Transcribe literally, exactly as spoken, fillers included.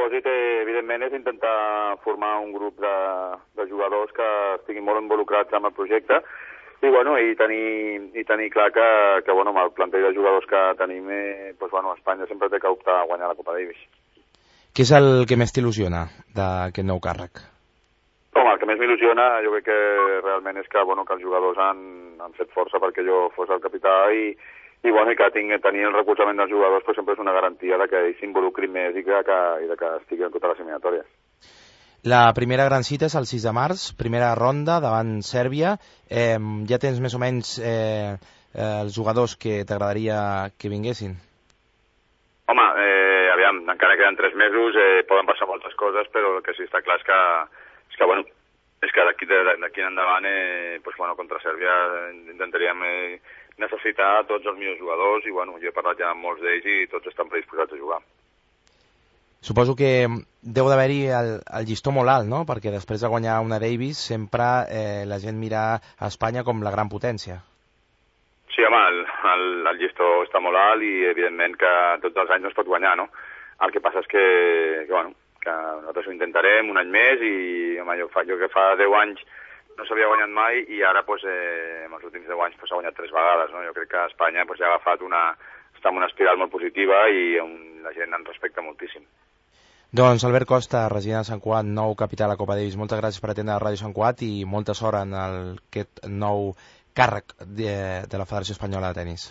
propòsit, eh, evidentment, és intentar formar un grup de, de jugadors que estiguin molt involucrats amb el projecte i, bueno, i tenir, i tenir clar que, que bueno, amb el plantell de jugadors que tenim, eh, doncs, bueno, Espanya sempre té que optar a guanyar la Copa Davis. Què és el que més t'il·lusiona d'aquest nou càrrec? Home, el que més m'il·lusiona jo crec que realment és que, bueno, que els jugadors han, han fet força perquè jo fos el capità i, i, bueno, i que tinc, tenir el recolzament dels jugadors pues, sempre és una garantia de que ells s'involucrin més i, que, que, i de que estiguin en totes les eliminatòries. La primera gran cita és el sis de març, primera ronda davant Sèrbia. Eh, ja tens més o menys eh, eh, els jugadors que t'agradaria que vinguessin? Home, eh, aviam, encara queden tres mesos, eh, poden passar moltes coses, però el que sí està clar és que, és que, bueno, és que d'aquí d'aquí en endavant, eh, pues, bueno, contra Sèrbia intentaríem eh, necessitar tots els millors jugadors i, bueno, jo he parlat ja amb molts d'ells i tots estan predisposats a jugar. Suposo que deu d'haver-hi el, el llistó molt alt, no? Perquè després de guanyar una Davis sempre eh, la gent mira a Espanya com la gran potència. Sí, home, el, el, el llistó està molt alt i evidentment que tots els anys no es pot guanyar, no? El que passa és que, que, bueno, que nosaltres ho intentarem un any més i home, jo, fa, jo que fa deu anys no s'havia guanyat mai i ara pues, eh, en els últims deu anys pues, s'ha guanyat tres vegades, no? Jo crec que Espanya pues, ja ha agafat una, està en una espiral molt positiva i on la gent en respecta moltíssim. Doncs Albert Costa, resident de Sant Cugat, nou capità de la Copa Davis, moltes gràcies per atendre Ràdio Sant Cugat i molta sort en el, aquest nou càrrec de, de la Federació Espanyola de Tenis.